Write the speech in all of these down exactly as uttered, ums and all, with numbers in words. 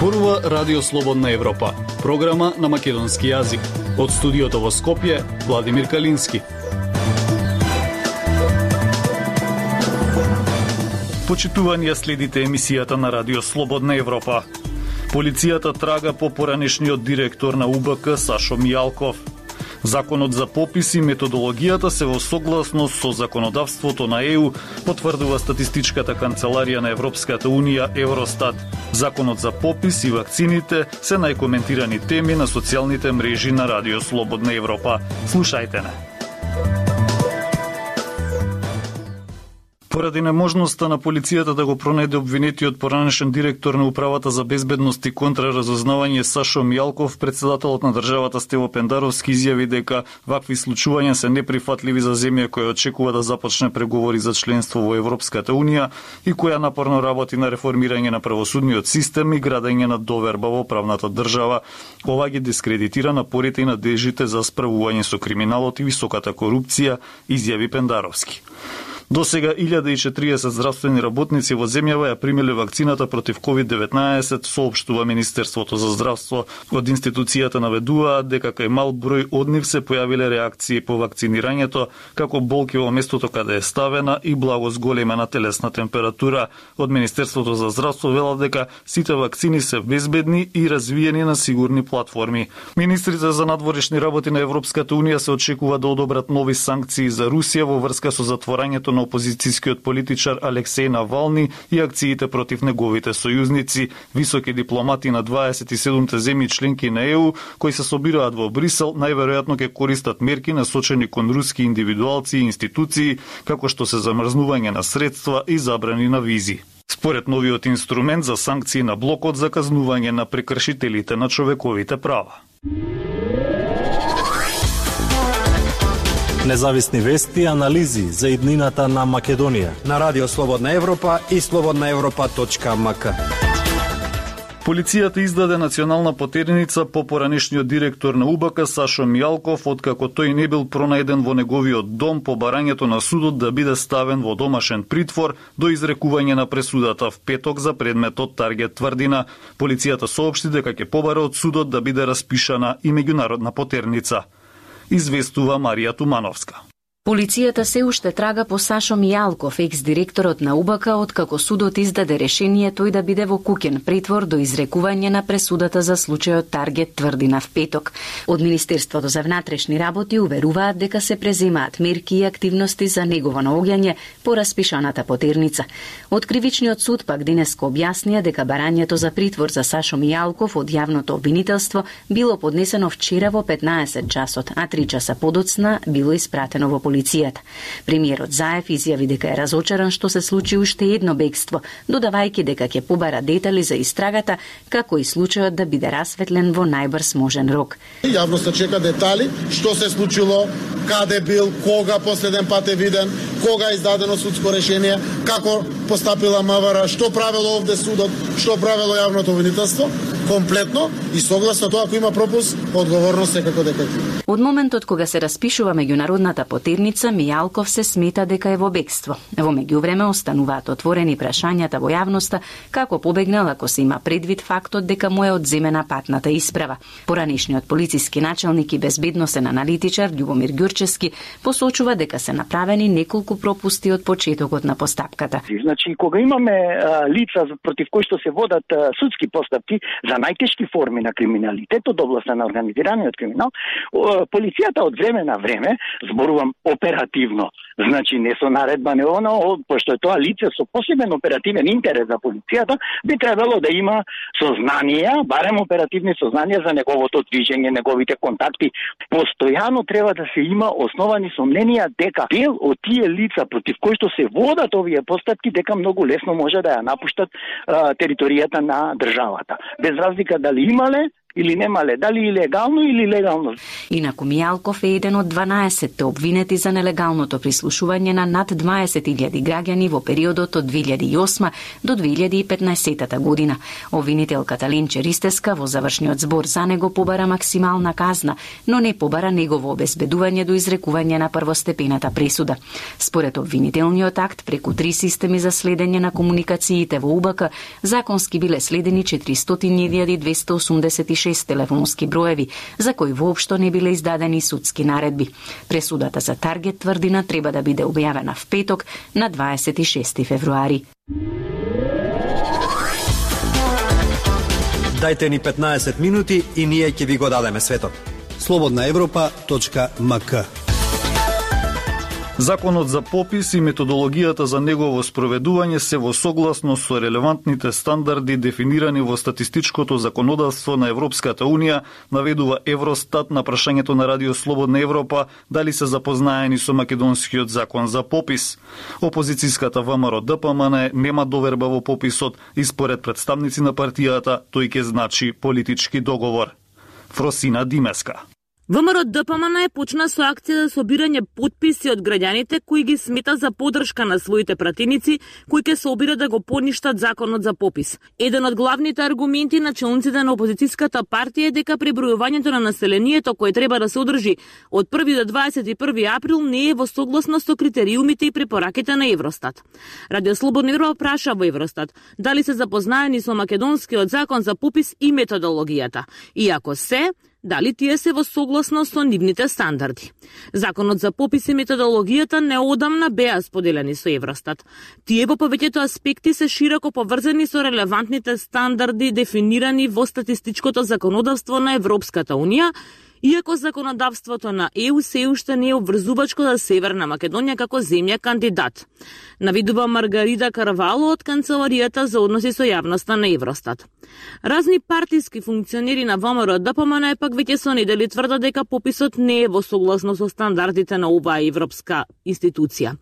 зборува Радио Слободна Европа, програма на македонски јазик. Од студиото во Скопје, Владимир Калински. Почитувани, следите емисијата на Радио Слободна Европа. Полицијата трага по поранешниот директор на У Б К Сашо Мијалков. Законот за попис и методологијата се во согласност со законодавството на Е У, потврдува статистичката канцеларија на Европската Унија Евростат. Законот за попис и вакцините се најкоментирани теми на социјалните мрежи на Радио Слободна Европа. Слушајте не. Поради неможноста на полицијата да го пронајде обвинетиот поранешен директор на Управата за безбедност и контраразузнавање Сашо Мијалков, председателот на државата Стево Пендаровски изјави дека вакви случувања се неприфатливи за земја која очекува да започне преговори за членство во Европската Унија и која напорно работи на реформирање на правосудниот систем и градење на доверба во правната држава. Ова ги дискредитира напорите и надежите за справување со криминалот и високата корупција, изјави Пендаровски. До сега илјада и четириесет здравствени работници во земјава ја примиле вакцината против ковид деветнаесет, соопштува Министерството за здравство. Од институцијата наведуваат дека кај мал број од нив се појавиле реакции по вакцинирањето, како болки во местото каде е ставена и благо зголемена телесна температура. Од Министерството за здравство велат дека сите вакцини се безбедни и развиени на сигурни платформи. Министрите за надворешни работи на Европската Унија се очекува да одобрат нови санкции за Русија во врска со затворањето на опозицијскиот политичар Алексеј Навални и акциите против неговите сојузници. Високи дипломати на дваесет и седумте земји членки на Е У, кои се собираат во Брисел, најверојатно ќе користат мерки насочени кон руски индивидуалци и институции, како што се замрзнување на средства и забрани на визи. Според новиот инструмент за санкции на блокот за казнување на прекршителите на човековите права. Независни вести и анализи за иднината на Македонија на Радио Слободна Европа и слободна европа точка ем ка. Полицијата издаде национална потерница по поранешниот директор на У Б К Сашо Мијалков, откако тој не бил пронајден во неговиот дом по барањето на судот да биде ставен во домашен притвор до изрекување на пресудата в петок за предметот Таргет Тврдина. Полицијата соопшти дека ќе побара од судот да биде распишана и меѓународна потерница. Известува Марија Тумановска. Полицијата се уште трага по Сашо Мијалков, екс-директорот на У Б К, откако судот издаде решение тој да биде во куќен притвор до изрекување на пресудата за случајот Таргет Тврдина в петок. Од Министерството за внатрешни работи уверуваат дека се преземаат мерки и активности за негово наоѓање по распишаната потерница. Од Кривичниот суд пак денеска објаснија дека барањето за притвор за Сашо Мијалков од јавното обвинителство било поднесено вчера во петнаесет часот, а три часа подоцна било испратено во полицијата. Премиерот Заев изјави дека е разочаран што се случи уште едно бегство, додавајќи дека ќе побара детали за истрагата, како и случајот да биде расветлен во најбрз можен рок. Јавноста чека детали, што се случило, каде бил, кога последен пат е виден, кога е издадено судско решение, како постапила М В Р, што правело овде судот, што правело јавното обвинителство, комплетно и согласно тоа ако има пропуск, одговорност секако дека. Од моментот кога се распишува меѓународната потерница, Мијалков се смета дека е во бегство. Во меѓувреме остануваат отворени прашањата во јавноста како побегнал ако се има предвид фактот дека му е одземена патната исправа. Поранешниот полициски началник и безбедносен аналитичар Љубомир Ѓурчевски посочува дека се направени неколку пропусти од почетокот на постапката. Значи, кога имаме а, лица против кои што се водат а, судски постапки за најтешки форми на криминалитет од областа на организираниот криминал, полицијата од време на време, зборувам оперативно, значи не со наредба, не оно, пошто е тоа лице со посебен оперативен интерес за полицијата, би требало да има сознанија, барем оперативни сознанија за неговото движење, неговите контакти. Постојано треба да се има основани сомненија дека дел од тие лица против кои што се водат овие постапки, дека многу лесно може да ја напуштат а, територијата на државата. Без разлика дали имале или немале, дали илегално или легално. Инаку Мијалков е еден од дванаесетте обвинети за нелегалното прислушување на над дваесет илјади граѓани во периодот од две илјади и осма до две илјади и петнаесетта година. Обвинителката Ленче Ристеска во завршниот збор за него побара максимална казна, но не побара негово обезбедување до изрекување на првостепената пресуда. Според обвинителниот акт, преку три системи за следење на комуникациите во УБК, законски биле следени четиристотини илјади двесте осумдесет и шест телефонски броеви, за кои воопшто не биле издадени судски наредби. Пресудата за Таргет тврдина треба да биде објавена в петок на дваесет и шести февруари. Дајте ни петнаесет минути и ние ќе ви го дадеме светот. слободна европа точка ем ка. Законот за попис и методологијата за негово спроведување се во согласно со релевантните стандарди дефинирани во статистичкото законодавство на Европската Унија, наведува Евростат на прашањето на Радио Слободна Европа дали се запознаени со македонскиот закон за попис. Опозицијската ВМРО Д П М Н нема доверба во пописот и според представници на партијата тој ќе значи политички договор. Фросина Димеска. ВМРО Д П М Н почна со акција за собирање потписи од граѓаните кои ги смета за поддршка на своите пратеници кои ќе се обират да го поништат законот за попис. Еден од главните аргументи на челниците на опозицијската партија е дека пребројувањето на населението кое треба да се одржи од први до дваесет и први април не е во согласност со критериумите и препораките на Евростат. Радио Слободна Европа праша во Евростат дали се запознаени со македонскиот закон за попис и методологијата. И ако се, дали тие се во согласност со нивните стандарди. Законот за попис и методологијата неодамна беа споделени со Евростат. Тие во повеќето аспекти се широко поврзани со релевантните стандарди дефинирани во статистичкото законодавство на Европската Унија, иако законодавството на Е У се уште не е обврзувачко за Северна Македонија како земја кандидат. Навидува Маргарита Карвало од Канцеларијата за односи со јавноста на Евростат. Разни партиски функционери на ВМРО Д П М Н пак веќе со недели тврдат дека пописот не е во согласно со стандардите на оваа европска институција.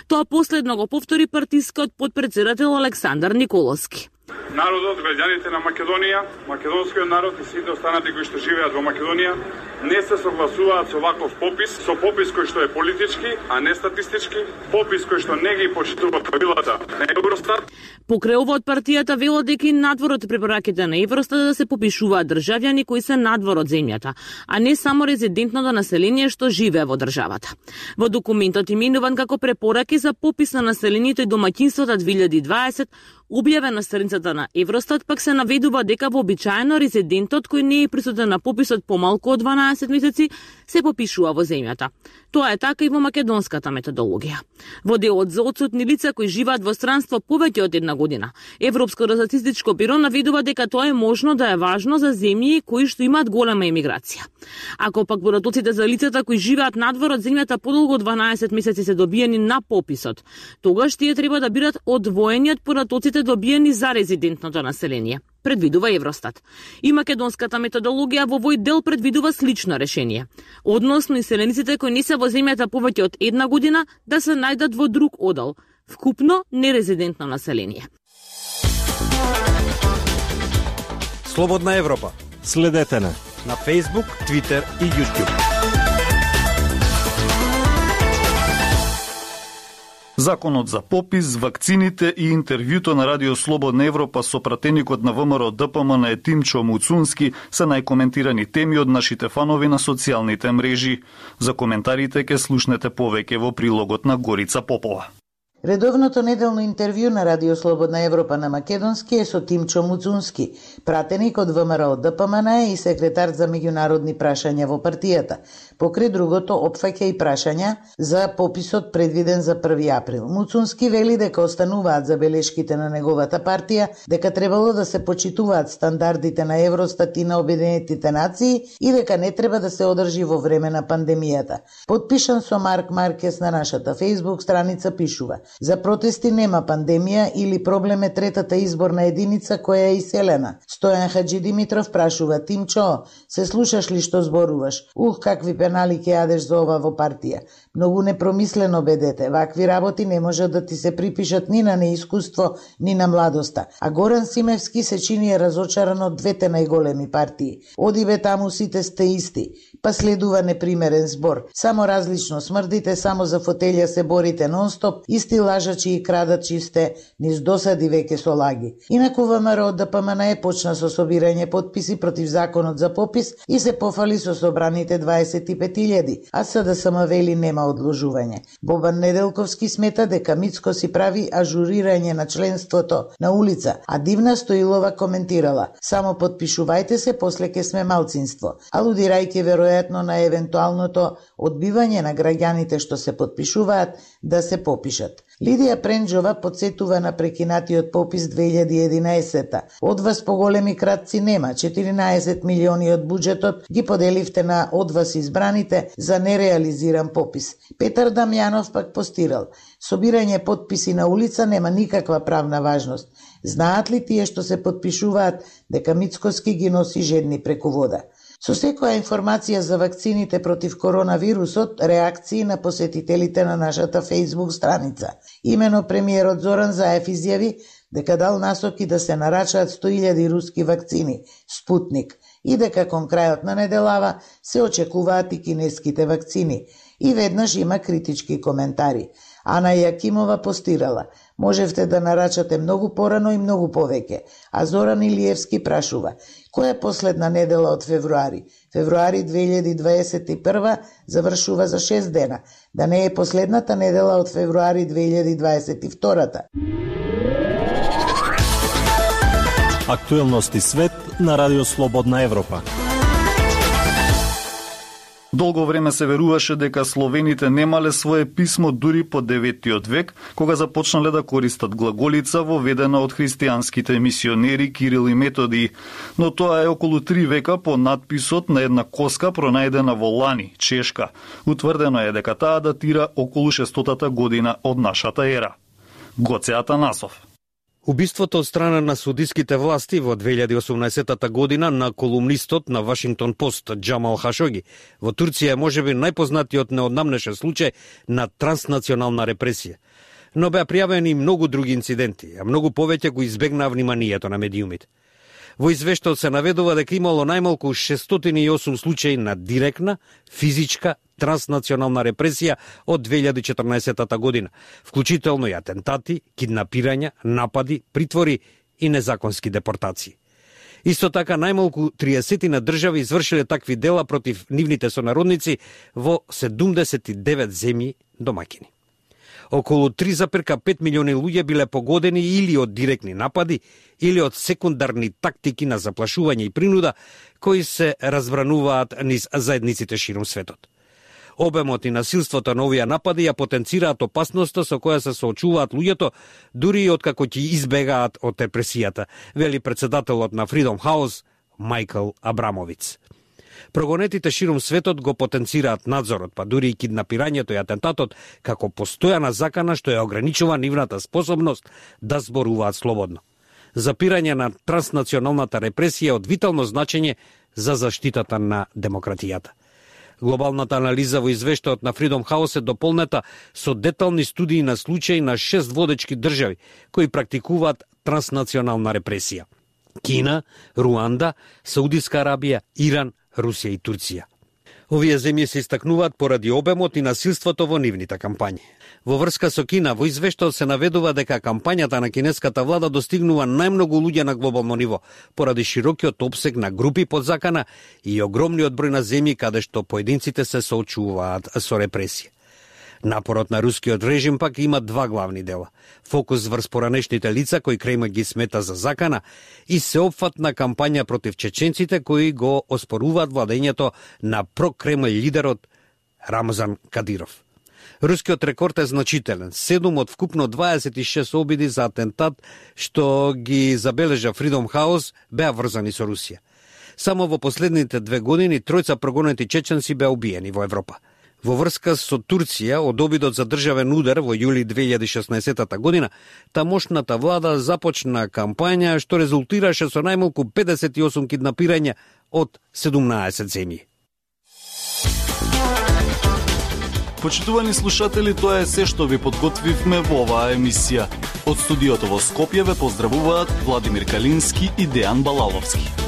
Тоа последно го повтори партискиот потпредседател Александар Николовски. Народот, граѓаните на Македонија, македонскиот народ и сите останати кои што живеат во Македонија не се согласуваат со ваков попис, со попис кој што е политички, а не статистички, попис кој што не ги почитува правилата на Евростат. Покрај ова од партијата велат дека и надвор од препораките на Евростат да се попишуваат државјани кои се надвор од земјата, а не само резидентното население што живее во државата. Во документот именуван како препораки за попис на населението и домаќинствата две илјади и дваесет, објавен на страницата на Евростат, пак се наведува дека вообичаено резидентот кој не е присутен на пописот помалку од дванаесет месеци се попишува во земјата. Тоа е така и во македонската методологија. Во делот за отсутни лица кои живеат во странство повеќе од една година, Европското статистичко биро наведува дека тоа е можно да е важно за земји кои што имаат голема емиграција. Ако пак податоците за лицата кои живеат надвор од земјата подолго од дванаесет месеци се добиени на пописот, тогаш тие треба да бидат одвоени од податоците добиени за резидентното население, предвидува Евростат. И македонската методологија во овој дел предвидува слично решение. Односно, населениците кои не се во земјата повеќе од една година да се најдат во друг одел, вкупно нерезидентно население. Слободна Европа. Следете на на Facebook, Twitter и YouTube. Законот за попис, вакцините и интервјуто на Радио Слободна Европа со пратеникот на ВМРО Д П М Н Тимчо Муцунски се најкоментирани теми од нашите фанови на социјалните мрежи. За коментарите ќе слушнете повеќе во прилогот на Горица Попова. Редовното неделно интервју на Радио Слободна Европа на македонски е со Тимчо Муцунски, пратеник од ВМРО Д П М Н и секретар за меѓународни прашања во партијата. Покрај другото, опфаќа и прашања за пописот предвиден за први април. Муцунски вели дека остануваат забелешките на неговата партија, дека требало да се почитуваат стандардите на Евростат и на Обединетите нации и дека не треба да се одржи во време на пандемијата. Подпишан со Марк Маркес на нашата Facebook страница пишува: За протести нема пандемија или проблем е третата изборна единица која е иселена. Стојан Хаджи Димитров прашува: Тимчо, се слушаш ли што зборуваш? Ух, какви пенали ќе јадеш за ова во партија. Многу непромислено бедете. Вакви работи не можат да ти се припишат ни на неискуство, ни на младоста. А Горан Симевски се чини разочаран од двете најголеми партии. Оди бе, таму сите сте исти. Па следува непримерен збор. Само различно смрдите, само за фотелја се борите нонстоп, исти лажачи и крадачи сте, низ досади веќе со лаги. Инаку ВМРО ДПМН почна со собирање потписи против законот за попис и се пофали со собраните дваесет и пет илјади, а СДСМ вели нема одложување. Бобан Неделковски смета дека Мицко си прави ажурирање на членството на улица, а Дивна Стоилова коментирала: само потпишувајте се, после ке сме малцинство, алудирајќи веројатно на евентуалното одбивање на граѓаните што се потпишуваат да се попишат. Лидија Пренџова подсетува на прекинатиот попис две илјади и единаесета. Од вас поголеми кратци нема, четиринаесет милиони од буџетот ги поделивте на од вас избраните за нереализиран попис. Петар Дамјанов пак постирал: собирање потписи на улица нема никаква правна важност. Знаат ли тие што се потпишуваат дека Мицкоски ги носи жедни преку вода? Со секоја информација за вакцините против коронавирусот, реакции на посетителите на нашата Facebook страница. Имено премиерот Зоран Заев изјави дека дал насоки да се нарачаат сто илјади руски вакцини Спутник и дека кон крајот на неделава се очекуваат и кинеските вакцини. И веднаш има критички коментари. Ана Јакимова постирала: можевте да нарачате многу порано и многу повеќе. А Зоран Илиевски прашува: која е последна недела од февруари? Февруари две илјади дваесет и прва завршува за шест дена. Да не е последната недела од февруари две илјади дваесет и втората. Актуелности свет на Радио Слободна Европа. Долго време се веруваше дека словените немале свое писмо дури по деветиот век, кога започнале да користат глаголица воведена од христијанските мисионери Кирил и Методи. Но тоа е околу три века по надписот на една коска пронајдена во Лани, Чешка. Утврдено е дека таа датира околу шестотата година од нашата ера. Гоце Атанасов. Убиството од страна на судиските власти во две илјади и осумнаесетата година на колумнистот на Вашингтон Пост Джамал Хашоги во Турција е можеби најпознатиот неоднамнешен случај на транснационална репресија. Но беа пријавени многу други инциденти, а многу повеќе го избегнаа вниманието на медиумите. Во извештајот се наведува дека имало најмалку шестстотини и осум случаи на директна, физичка, транснационална репресија од две илјади и четрнаесетата година, вклучително и атентати, киднапирања, напади, притвори и незаконски депортации. Исто така најмалку триесет држави извршиле такви дела против нивните сонародници во седумдесет и девет земји домаќини. Околу три зарез пет милиони луѓе биле погодени или од директни напади, или од секундарни тактики на заплашување и принуда, кои се разбрануваат низ заедниците ширум светот. Обемот и насилството на овие напади ја потенцираат опасноста со која се соочуваат луѓето, дури и откако ќе избегаат од репресијата, вели председателот на Freedom House Мајкл Абрамовиц. Прогонетите ширум светот го потенцираат надзорот, па дури и киднапирањето и атентатот, како постојана закана што ја ограничува нивната способност да зборуваат слободно. Запирање на транснационалната репресија е од витално значење за заштитата на демократијата. Глобалната анализа во извештајот на Freedom House е дополнета со детални студии на случаи на шест водечки држави кои практикуваат транснационална репресија: Кина, Руанда, Саудиска Арабија, Иран, Русија и Турција. Овие земји се истакнуваат поради обемот и насилството во нивните кампањи. Во врска со Кина, во извештајот се наведува дека кампањата на кинеската влада достигнува најмногу луѓе на глобално ниво, поради широкиот опсег на групи под закана и огромниот број на земји каде што поединците се соочуваат со репресија. Напорот на рускиот режим пак има два главни дела: фокус врз поранешните лица кои Кремљ ги смета за закана и сеопфатна кампања против чеченците кои го оспоруваат владењето на прокремљ лидерот Рамзан Кадиров. Рускиот рекорд е значителен: седум од вкупно дваесет и шест обиди за атентат што ги забележа Freedom House беа врзани со Русија. Само во последните две години тројца прогонети чеченци беа убиени во Европа. Во врска со Турција од обидот за државен удар во јули две илјади и шеснаесетта година, тамошната влада започна кампања што резултираше со најмалку педесет и осум киднапирања од седумнаесет земји. Почитувани слушатели, тоа е се што ви подготвивме во оваа емисија. Од студиото во Скопје ве поздравуваат Владимир Калински и Дејан Балаловски.